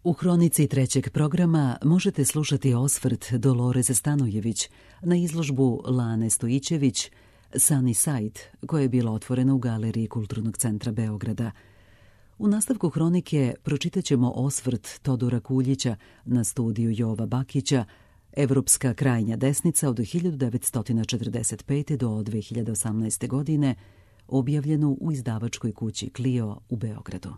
U hronici trećeg programa možete slušati osvrt Doloreze Stanojević na izložbu Lane Stojićević Sunny Side, koja je bila otvorena u Galeriji Kulturnog centra Beograda. U nastavku hronike pročitat ćemo osvrt Todora Kuljića na studiju Jova Bakića Evropska krajnja desnica od 1945. do 2018. godine, objavljenu u izdavačkoj kući Clio u Beogradu.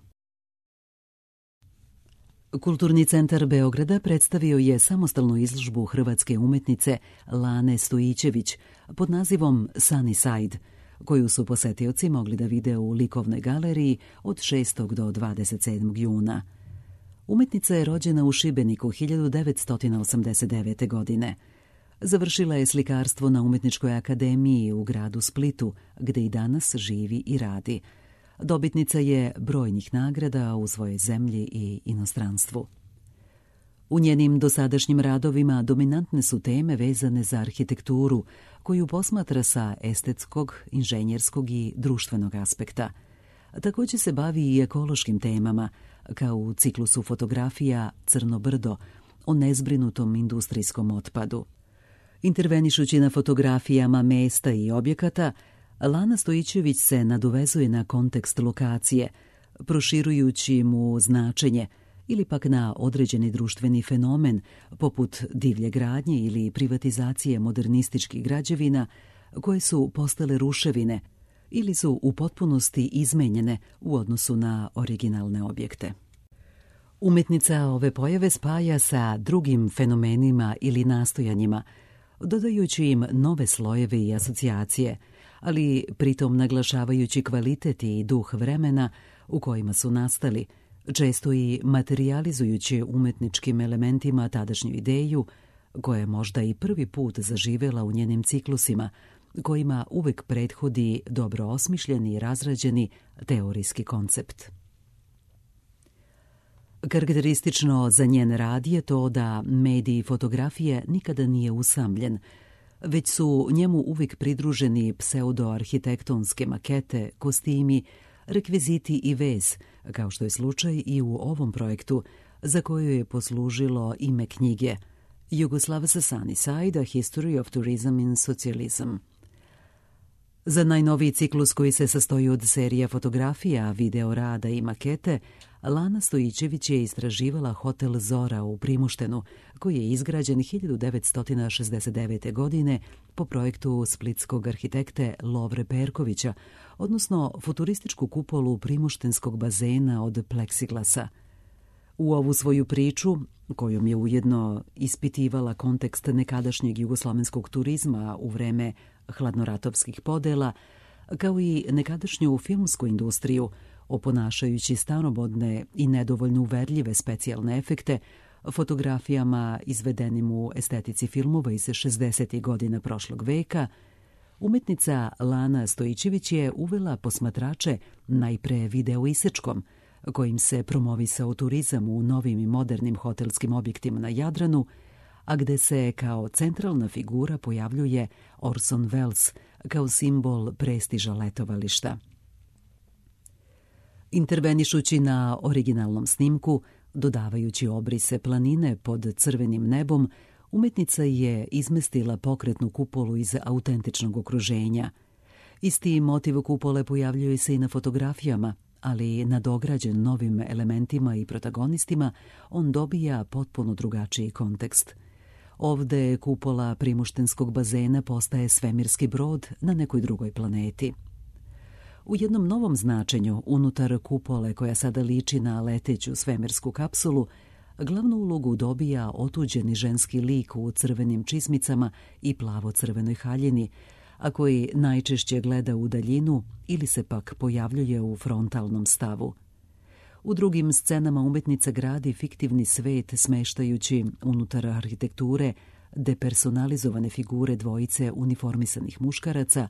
Kulturni centar Beograda predstavio je samostalnu izložbu hrvatske umetnice Lane Stojićević pod nazivom Sunny Side, koju su posetioci mogli da vide u Likovnoj galeriji od 6. do 27. juna. Umetnica je rođena u Šibeniku 1989. godine. Završila je slikarstvo na Umetničkoj akademiji u gradu Splitu, gde i danas živi i radi. Dobitnica je brojnih nagrada u svojoj zemlji i inostranstvu. U njenim dosadašnjim radovima dominantne su teme vezane za arhitekturu, koju posmatra sa estetskog, inženjerskog i društvenog aspekta. Također se bavi i ekološkim temama, kao u ciklusu fotografija Crno brdo o nezbrinutom industrijskom otpadu. Intervenišući na fotografijama mesta i objekata, Lana Stojićević se nadovezuje na kontekst lokacije, proširujući mu značenje ili pak na određeni društveni fenomen, poput divlje gradnje ili privatizacije modernističkih građevina, koje su postale ruševine ili su u potpunosti izmenjene u odnosu na originalne objekte. Umetnica ove pojave spaja sa drugim fenomenima ili nastojanjima, dodajući im nove slojeve i asocijacije, ali pritom naglašavajući kvalitet i duh vremena u kojima su nastali, često i materijalizujući umetničkim elementima tadašnju ideju, koja je možda i prvi put zaživela u njenim ciklusima, kojima uvek prethodi dobro osmišljeni i razrađeni teorijski koncept. Karakteristično za njen rad je to da medij fotografije nikada nije usamljen, već su njemu uvijek pridruženi pseudoarhitektonske makete, kostimi, rekviziti i vez, kao što je slučaj i u ovom projektu, za koju je poslužilo ime knjige Jugoslav's Sunny Side, A History of Tourism in Socialism. Za najnoviji ciklus, koji se sastoji od serija fotografija, video rada i makete, Lana Stojićević je istraživala hotel Zora u Primuštenu, koji je izgrađen 1969. godine po projektu splitskog arhitekte Lovre Perkovića, odnosno futurističku kupolu primuštenskog bazena od pleksiglasa. U ovu svoju priču, kojom je ujedno ispitivala kontekst nekadašnjeg jugoslovenskog turizma u vreme hladnoratovskih podela, kao i nekadašnju filmsku industriju, oponašajući staromodne i nedovoljno uverljive specijalne efekte, fotografijama izvedenim u estetici filmova iz 60. godina prošlog veka, umetnica Lana Stojićević je uvela posmatrače najpre video isečkom, kojim se promovisao turizam u novim i modernim hotelskim objektima na Jadranu, a gde se kao centralna figura pojavljuje Orson Welles kao simbol prestiža letovališta. Intervenišući na originalnom snimku, dodavajući obrise planine pod crvenim nebom, umetnica je izmestila pokretnu kupolu iz autentičnog okruženja. Isti motiv kupole pojavljuje se i na fotografijama, ali nadograđen novim elementima i protagonistima, on dobija potpuno drugačiji kontekst. Ovde kupola primuštenskog bazena postaje svemirski brod na nekoj drugoj planeti. U jednom novom značenju, unutar kupole, koja sada liči na leteću svemirsku kapsulu, glavnu ulogu dobija otuđeni ženski lik u crvenim čizmicama i plavo-crvenoj haljini, a koji najčešće gleda u daljinu ili se pak pojavljuje u frontalnom stavu. U drugim scenama umetnica gradi fiktivni svet smeštajući unutar arhitekture depersonalizovane figure dvojice uniformisanih muškaraca,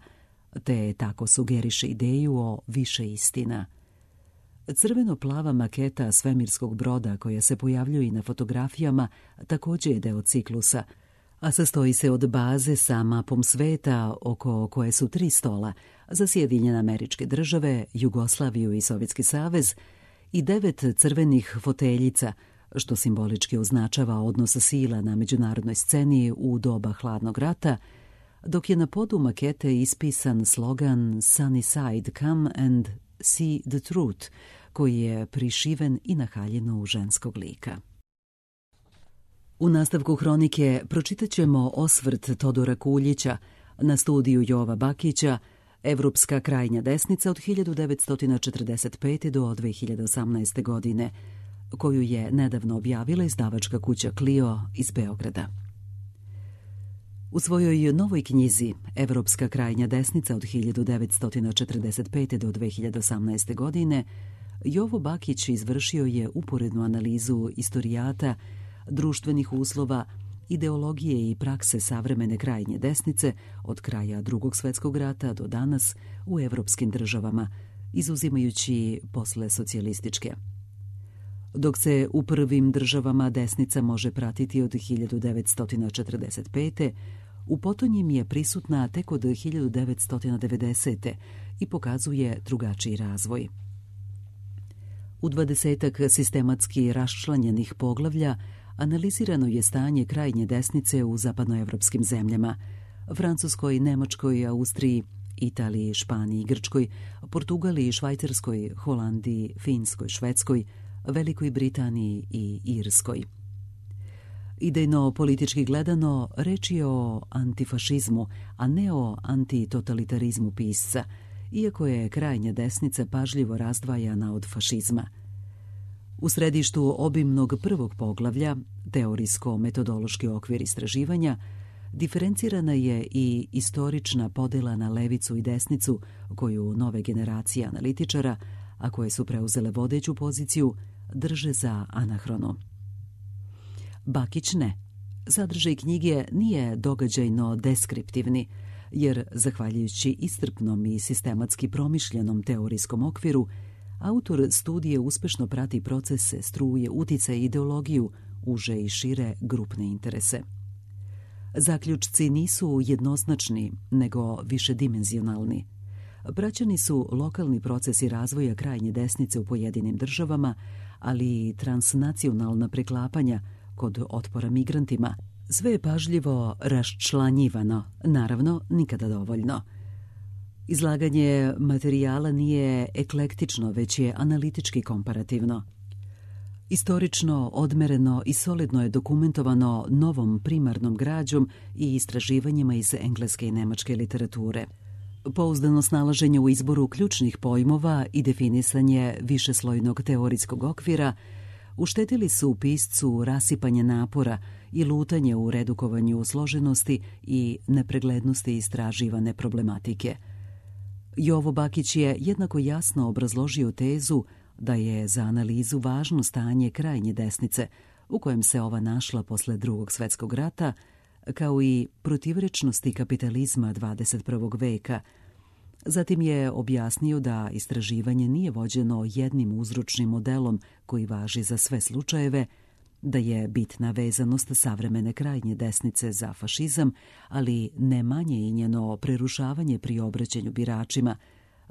te tako sugeriše ideju o više istina. Crveno-plava maketa svemirskog broda, koja se pojavljuje i na fotografijama, također je deo ciklusa, a sastoji se od baze sa mapom sveta oko koje su 3 stola za Sjedinjene Američke Države, Jugoslaviju i Sovjetski savez i 9 crvenih foteljica što simbolički označava odnos sila na međunarodnoj sceni u doba hladnog rata, dok je na podu makete ispisan slogan Sunny side, come and see the truth, koji je prišiven i na haljinu ženskog lika. U nastavku hronike pročitat ćemo osvrt Todora Kuljića na studiju Jova Bakića Evropska krajnja desnica od 1945. do 2018. godine, koju je nedavno objavila izdavačka kuća Clio iz Beograda. U svojoj novoj knjizi Evropska krajnja desnica od 1945. do 2018. godine Jovo Bakić izvršio je uporednu analizu istorijata, društvenih uslova, ideologije i prakse savremene krajnje desnice od kraja Drugog svjetskog rata do danas u evropskim državama, izuzimajući posle socijalističke. Dok se u prvim državama desnica može pratiti od 1945. u potonjim je prisutna tek od 1990. i pokazuje drugačiji razvoj. U 20-ak sistematski raščlanjenih poglavlja analizirano je stanje krajnje desnice u zapadnoevropskim zemljama, Francuskoj, Nemačkoj, Austriji, Italiji, Španiji, Grčkoj, Portugaliji, Švajcarskoj, Holandiji, Finskoj, Švedskoj, Velikoj Britaniji i Irskoj. Idejno politički gledano, reč je o antifašizmu, a ne o antitotalitarizmu pisca, iako je krajnja desnica pažljivo razdvajana od fašizma. U središtu obimnog prvog poglavlja, teorijsko-metodološki okvir istraživanja, diferencirana je i istorična podela na levicu i desnicu koju nove generacije analitičara, a koje su preuzele vodeću poziciju, drže za anahronu. Bakić ne. Sadržaj knjige nije događajno deskriptivni, jer, zahvaljujući iscrpnom i sistematski promišljenom teorijskom okviru, autor studije uspešno prati procese, struje, uticaje i ideologiju, uže i šire grupne interese. Zaključci nisu jednoznačni, nego višedimenzionalni. Praćeni su lokalni procesi razvoja krajnje desnice u pojedinim državama, ali i transnacionalna preklapanja kod otpora migrantima. Sve je pažljivo raščlanjivano, naravno nikada dovoljno. Izlaganje materijala nije eklektično, već je analitički komparativno. Istorično, odmereno i solidno je dokumentovano novom primarnom građom i istraživanjima iz engleske i nemačke literature. Pouzdano snalaženje u izboru ključnih pojmova i definisanje višeslojnog teorijskog okvira uštetili su piscu rasipanje napora i lutanje u redukovanju složenosti i nepreglednosti istraživane problematike. Jovo Bakić je jednako jasno obrazložio tezu da je za analizu važno stanje krajnje desnice u kojem se ova našla posle Drugog svjetskog rata, kao i protivrečnosti kapitalizma 21. veka. Zatim je objasnio da istraživanje nije vođeno jednim uzročnim modelom koji važi za sve slučajeve, da je bitna vezanost savremene krajnje desnice za fašizam, ali ne manje i njeno prerušavanje pri obraćanju biračima,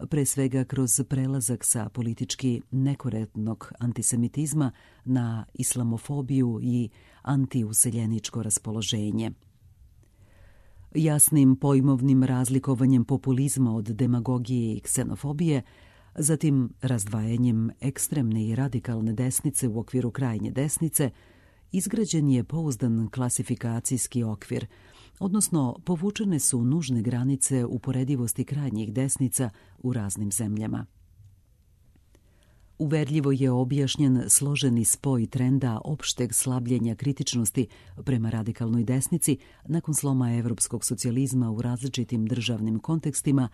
pre svega kroz prelazak sa politički nekorektnog antisemitizma na islamofobiju i antiuseljeničko raspoloženje. Jasnim pojmovnim razlikovanjem populizma od demagogije i ksenofobije, zatim razdvajanjem ekstremne i radikalne desnice u okviru krajnje desnice, izgrađen je pouzdan klasifikacijski okvir, odnosno povučene su nužne granice uporedivosti krajnjih desnica u raznim zemljama. Uverljivo je objašnjen složeni spoj trenda opšteg slabljenja kritičnosti prema radikalnoj desnici nakon sloma evropskog socijalizma u različitim državnim kontekstima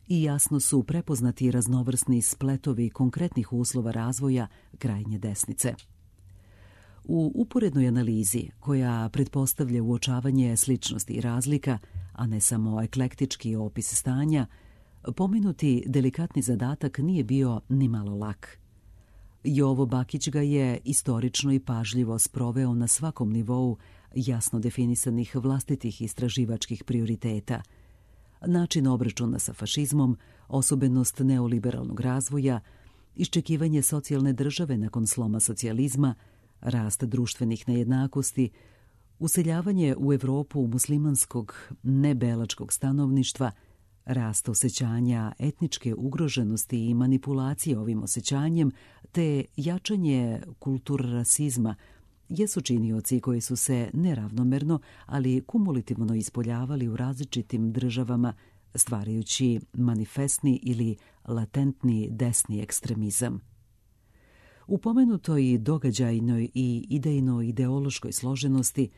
i jasno su prepoznati raznovrsni spletovi konkretnih uslova razvoja krajnje desnice. U uporednoj analizi, koja pretpostavlja uočavanje sličnosti i razlika, a ne samo eklektički opis stanja, pomenuti delikatni zadatak nije bio ni malo lak. Jovo Bakić ga je istorično i pažljivo sproveo na svakom nivou jasno definisanih vlastitih istraživačkih prioriteta. Način obračuna sa fašizmom, osobenost neoliberalnog razvoja, iščekivanje socijalne države nakon sloma socijalizma, rast društvenih nejednakosti, useljavanje u Evropu muslimanskog nebelačkog stanovništva, rast osjećanja etničke ugroženosti i manipulacije ovim osjećanjem, te jačanje kulturrasizma jesu činioci koji su se neravnomerno, ali kumulativno ispoljavali u različitim državama, stvarajući manifestni ili latentni desni ekstremizam. U pomenutoj događajnoj i idejno-ideološkoj složenosti,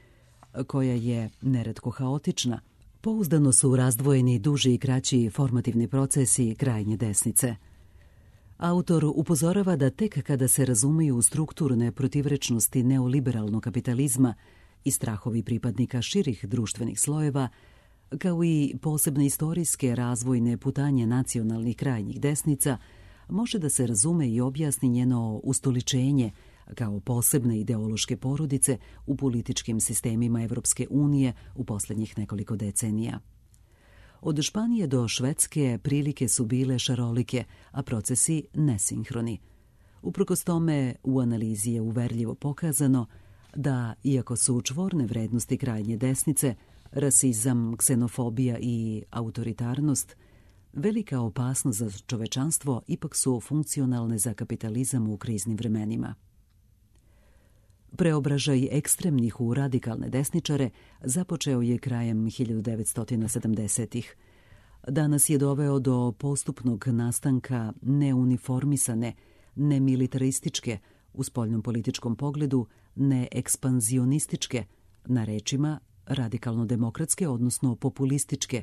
koja je neretko haotična, pouzdano su razdvojeni duži i kraći formativni procesi krajnje desnice. Autor upozorava da tek kada se razumeju strukturne protivrečnosti neoliberalnog kapitalizma i strahovi pripadnika širih društvenih slojeva, kao i posebne istorijske razvojne putanje nacionalnih krajnjih desnica, može da se razume i objasni njeno ustoličenje kao posebne ideološke porodice u političkim sistemima Evropske unije u posljednjih nekoliko decenija. Od Španije do Švedske prilike su bile šarolike, a procesi nesinhroni. Uprkos tome, u analizi je uverljivo pokazano da, iako su čvorne vrednosti krajnje desnice, rasizam, ksenofobija i autoritarnost, velika opasnost za čovečanstvo ipak su funkcionalne za kapitalizam u kriznim vremenima. Preobražaj ekstremnih u radikalne desničare započeo je krajem 1970-ih. Danas je doveo do postupnog nastanka neuniformisane, nemilitarističke, u spoljnom političkom pogledu, neekspanzionističke, na rečima radikalno-demokratske, odnosno populističke,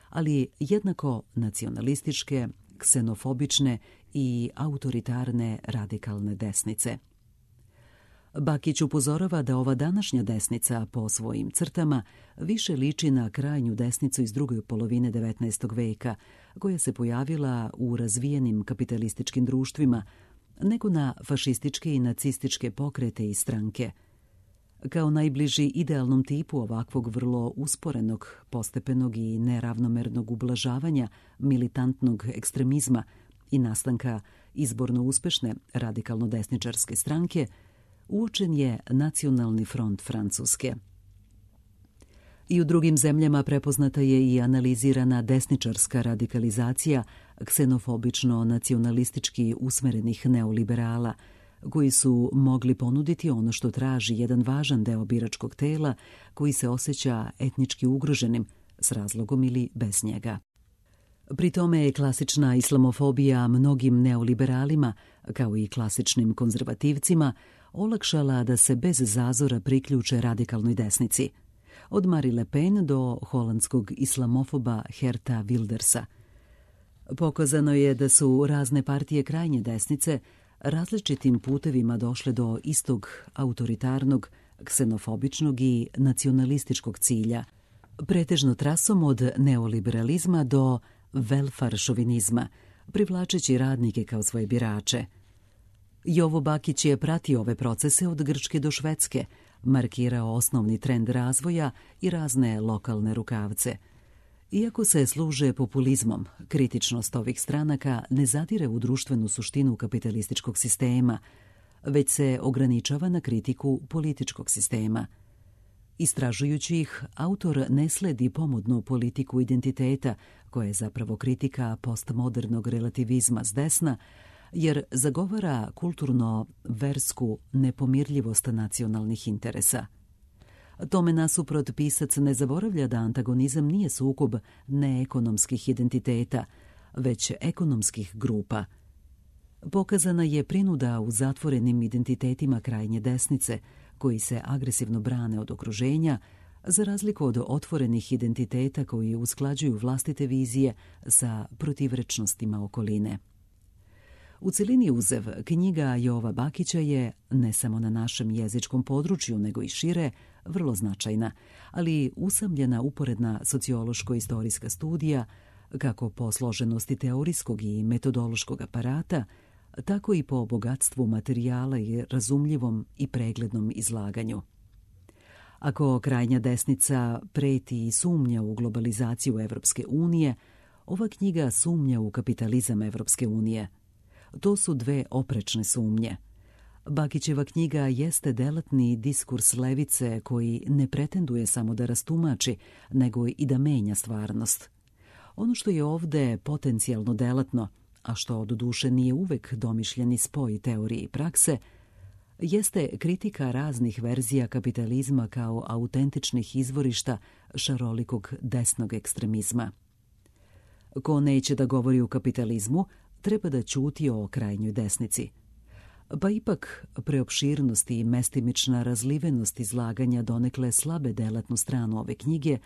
ali jednako nacionalističke, ksenofobične i autoritarne radikalne desnice. Bakić upozorava da ova današnja desnica po svojim crtama više liči na krajnju desnicu iz druge polovine 19. veka, koja se pojavila u razvijenim kapitalističkim društvima, nego na fašističke i nacističke pokrete i stranke. Kao najbliži idealnom tipu ovakvog vrlo usporenog, postepenog i neravnomernog ublažavanja militantnog ekstremizma i nastanka izborno uspešne radikalno-desničarske stranke, uočen je Nacionalni front Francuske. I u drugim zemljama prepoznata je i analizirana desničarska radikalizacija ksenofobično-nacionalistički usmerenih neoliberala, koji su mogli ponuditi ono što traži jedan važan deo biračkog tela koji se osjeća etnički ugroženim, s razlogom ili bez njega. Pri tome je klasična islamofobija mnogim neoliberalima, kao i klasičnim konzervativcima, olakšala da se bez zazora priključe radikalnoj desnici, od Marie Le Pen do holandskog islamofoba Geerta Wildersa. Pokazano je da su razne partije krajnje desnice različitim putevima došle do istog autoritarnog, ksenofobičnog i nacionalističkog cilja, pretežno trasom od neoliberalizma do welfare šovinizma, privlačeći radnike kao svoje birače. Jovo Bakić je pratio ove procese od Grčke do Švedske, markirao osnovni trend razvoja i razne lokalne rukavce. Iako se služe populizmom, kritičnost ovih stranaka ne zadire u društvenu suštinu kapitalističkog sistema, već se ograničava na kritiku političkog sistema. Istražujući ih, autor ne sledi pomodnu politiku identiteta, koja je zapravo kritika postmodernog relativizma s desna, jer zagovara kulturno-versku nepomirljivost nacionalnih interesa. Tome nasuprot pisac ne zaboravlja da antagonizam nije sukob neekonomskih identiteta, već ekonomskih grupa. Pokazana je prinuda u zatvorenim identitetima krajnje desnice, koji se agresivno brane od okruženja, za razliku od otvorenih identiteta koji usklađuju vlastite vizije sa protivrečnostima okoline. U celini uzev, knjiga Jova Bakića je, ne samo na našem jezičkom području, nego i šire, vrlo značajna, ali usamljena uporedna sociološko-istorijska studija, kako po složenosti teorijskog i metodološkog aparata, tako i po bogatstvu materijala i razumljivom i preglednom izlaganju. Ako krajnja desnica preti i sumnja u globalizaciju Evropske unije, ova knjiga sumnja u kapitalizam Evropske unije. To su dve oprečne sumnje. Bakićeva knjiga jeste delatni diskurs levice koji ne pretenduje samo da rastumači, nego i da menja stvarnost. Ono što je ovde potencijalno delatno, a što doduše nije uvek domišljeni spoj teorije i prakse, jeste kritika raznih verzija kapitalizma kao autentičnih izvorišta šarolikog desnog ekstremizma. Ko neće da govori o kapitalizmu, treba da ćuti o krajnjoj desnici. Pa ipak preopširnost i mestimična razlivenost izlaganja donekle slabe delatnu stranu ove knjige,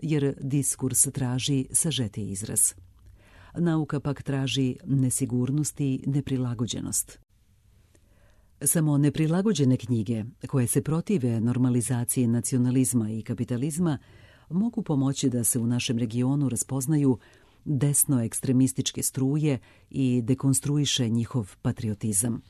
jer diskurs traži sažetiji izraz. Nauka pak traži nesigurnost i neprilagođenost. Samo neprilagođene knjige, koje se protive normalizaciji nacionalizma i kapitalizma, mogu pomoći da se u našem regionu raspoznaju desno-ekstremističke struje i dekonstruiše njihov patriotizam.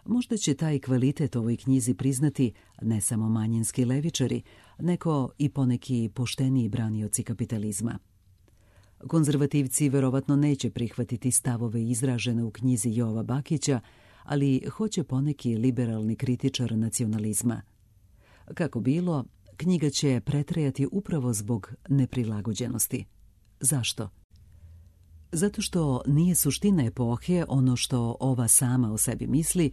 Možda će taj kvalitet ovoj knjizi priznati ne samo manjinski levičari, nego i poneki pošteniji branioci kapitalizma. Konzervativci verovatno neće prihvatiti stavove izražene u knjizi Jova Bakića, ali hoće poneki liberalni kritičar nacionalizma. Kako bilo, knjiga će pretrajati upravo zbog neprilagođenosti. Zašto? Zato što nije suština epohe ono što ova sama o sebi misli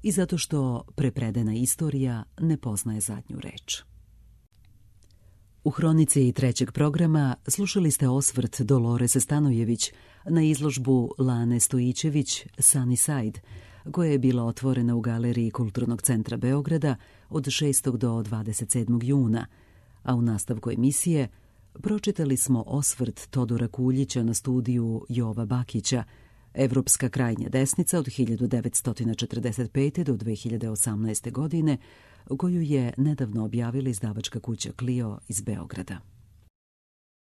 i zato što prepredena istorija ne poznaje zadnju reč. U hronici trećeg programa slušali ste osvrt Dolorese Stanojević na izložbu Lane Stojićević Sunny Side, koja je bila otvorena u Galeriji Kulturnog centra Beograda od 6. do 27. juna, a u nastavku emisije pročitali smo osvrt Todora Kuljića na studiju Jova Bakića, Evropska krajnja desnica od 1945. do 2018. godine, koju je nedavno objavila izdavačka kuća Clio iz Beograda.